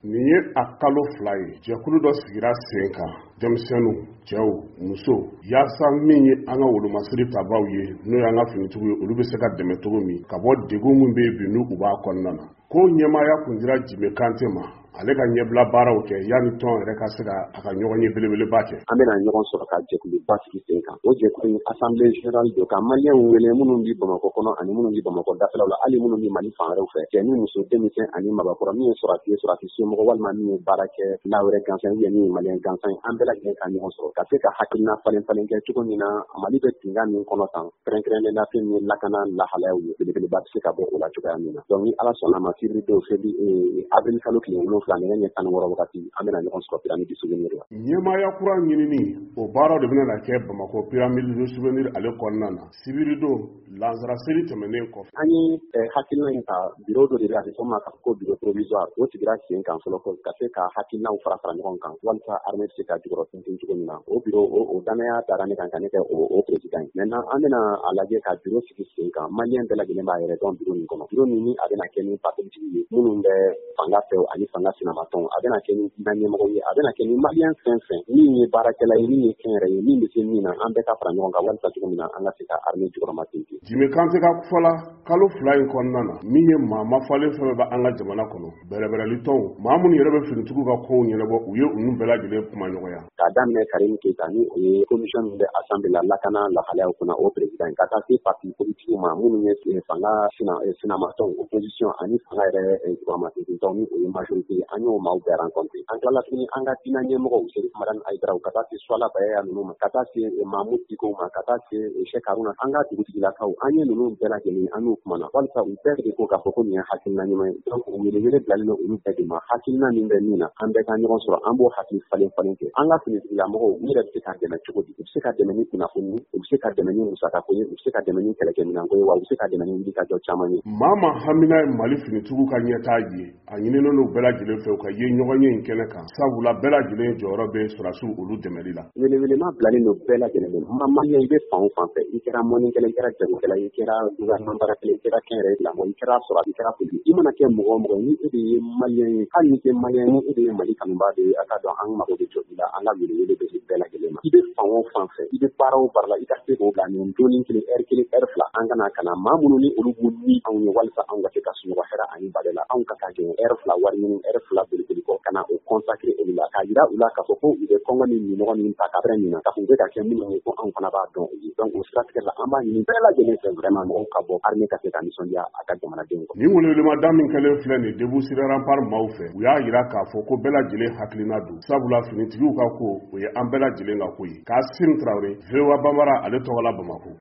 Nin ye a kalo 2 ye, jɛkulu dɔ sigira sen kan, denmisɛnninw, cɛw, musow, yaasa min ye an ka wolomasiri tabaw ye, n'o y'an ka finitigiw ye, olu bɛ se ka dɛmɛ cogo min ka bɔ degun min bɛ yen bi n'u u b'a kɔnɔna na. Ko ɲɛmaaya kun dira Jime Kante ma, ale ka ɲɛbila baaraw kɛ yanni tɔn yɛrɛ ka se ka a ka ɲɔgɔn ye belebeleba kɛ. An bɛna ɲɔgɔn sɔrɔ ka jɛkuluba sigi sen kan. O jɛkulu in, assemblée générale don, ka maliyɛnw wele minnu bɛ Bamakɔ kɔnɔ ani minnu bɛ Bamakɔ dafɛlaw la, hali minnu bɛ Mali fan wɛrɛw fɛ, cɛ ni muso, denmisɛn ani mabakɔrɔ, min ye sɔrɔdasi ye, sɔrɔdasi somɔgɔ, walima min ye baara kɛ la wɛrɛ gansan ye, min ye maliyɛn gansan ye, an bɛɛ lajɛlen ka ɲɔgɔn sɔrɔ ka se ka hakilina falen falen kɛ cogo min na Mali bɛ tinka min kɔnɔ tan, kɛrɛnkɛrɛnnen la fɛn min ye lakana lahalayaw ye, belebeleba bɛ se ka bɔ o la cogoya min na. Donc ni Ala sɔnna ma, sibiri don, février, avril kalo tile 7, nɛgɛ ɲɛ 16 wagati, an bɛna ɲɔgɔn sɔrɔ Pyramide du Souvenir la. Ɲɛmaaya kura ɲinini, o baaraw de bɛna kɛ Bamakɔ Pyramide du Souvenir ale kɔnɔna na sibiri don, lansara seli tɛmɛnen kɔfɛ. An ye hakilina in ta, bureau dɔ de bɛ, a bɛ fɔ ma ko bureau provisoire, o sigira sen kan fɔlɔ ka se ka hakilinaw fara fara ɲɔgɔn kan walasa armée bɛ se ka jukɔrɔ tintin cogo min na. O bureau, o danaya dara ne kan ka ne kɛ o président ye. Maintenant, an bɛna a lajɛ ka bureau sigi sen kan. Maliyɛn bɛɛ lajɛlen b'a yɛrɛ dɔn bureau nin kɔnɔ. Bureau nin, ni a bɛna kɛ ni parti ye minnu bɛ fanga fɛ ani fanga sinamatɔnw, a bɛna kɛ ni diinɛ ɲɛmɔgɔ ye, a bɛna kɛ ni maliyɛn fɛn fɛn min ye baarakɛla ye, min ye kɛnyɛrɛ ye, min bɛ se min na, an bɛɛ ka fara ɲɔgɔn kan walasa cogo min na an ka se ka armée jukɔrɔma tintin. Jime Kante ka fɔ la, kalo 2 in kɔnɔna na, min ye maa mafalen fɛn bɛɛ bɛ an ka jamana kɔnɔ, bɛrɛbɛrɛli tɔnw, maa minnu yɛrɛ bɛ finitigiw ka kow ɲɛnabɔ, u ye olu bɛɛ lajɛlen kuma ɲɔgɔnya. K'a daminɛ Karim Keita, ni o ye commission min bɛ assemblée la lakana lahalayaw kunna, o président ye, ka taa se parti politique ma minnu ye fanga sinamatɔnw, opposition, ani fanga yɛrɛ jukɔrɔma tintintɔn, ni o ye majorité ye, an y'o maaw bɛɛ rencontré. An tilala tuguni, an ka diinɛ ɲɛmɔgɔw, Serif Madani Hayidaraw, ka taa se Suwala Bayaya ninnu ma, ka taa se Mamudu Diko ma, ka taa se Cheikh Haruna, an ka dugutigilakaw, an ye ninnu bɛɛ lajɛlen, an n'u kumana walisa u bɛɛ de ko k'a fɔ ko nin ye hakilina ɲuman ye. Donc welewele bilalen don olu bɛɛ de ma. Hakilina min bɛ min na, an bɛɛ ka ɲɔgɔn sɔrɔ, an b'o hakili falen falen kɛ. An ka finitigilamɔgɔw, u yɛrɛ bɛ se ka dɛmɛ cogo di? U bɛ se ka dɛmɛ ni kunnafoni, u bɛ se ka dɛmɛ ni musakako ye, u bɛ se ka dɛmɛ ni kɛlɛkɛminɛnko ye, wa u bɛ se ka dɛmɛ ni wulikajɔ caman ye. Maa ma hamina ye Mali finitigiw ka ɲɛtaa ye, a ɲininen don bɛɛ lajɛlen fɛ u ka ye ɲɔgɔn ye in kɛnɛ kan, sabula bɛɛ lajɛlen jɔyɔrɔ bɛ sɔrɔdasiw olu dɛmɛli la. Welewelema bilalen don bɛɛ lajɛlen ma. Maliyɛn, i bɛ fan o fan fɛ, i kɛra mɔnikɛla, i kɛra jagokɛla, i kɛra gouvernement baarakɛla, i kɛra kɛnyɛrɛye tigilamɔgɔ, i kɛra sɔrɔ, i kɛra politique, i mana kɛ mɔgɔ o mɔgɔ, ni e de ye maliyɛn ye, hali ni tɛ maliyɛn, ni e de ye Mali kanubaa de ye, a ka dɔn an mago bɛ jɔ i la. An ka welewele bɛ se bɛɛ lajɛlen ma. I bɛ fan o fan fɛ, i bɛ baara o baara la, i ka se k'o bila nin donni kelen, heure kelen, heure 2, an kana ka na maa minnu ni olu b'u ni anw ye walasa anw ka se ka sunɔgɔ hɛrɛ ani bada la, anw ka taa gɛn heure 2 wari ɲini, heure 2 boliboli kɔ, ka na o consacrer olu la, k'a yira u la k'a fɔ ko u bɛ kɔngɔ ni minɔgɔ min ta ka min na, k'a fɔ u bɛ ka kɛ minnu ye, ko anw fana b'a dɔn u ye. Donc o siratigɛ la, an b'a ɲini bɛɛ lajɛlen fɛ vraiment, mɔgɔw ka bɔ, armée ka se ka nisɔndiya a ka jamanadenw kɔ. Nin welewelema min kɛlen filɛ nin Debout sur les Remparts maaw fɛ, u y'a yira k'a fɔ ko bɛɛ lajɛlen hakilina don, sabula finitigiw ka ko, o ye an bɛɛ lajɛlen ka ko ye. Kasim Tarawele, VOA Bambara ale tɔgɔ la, Bamakɔ.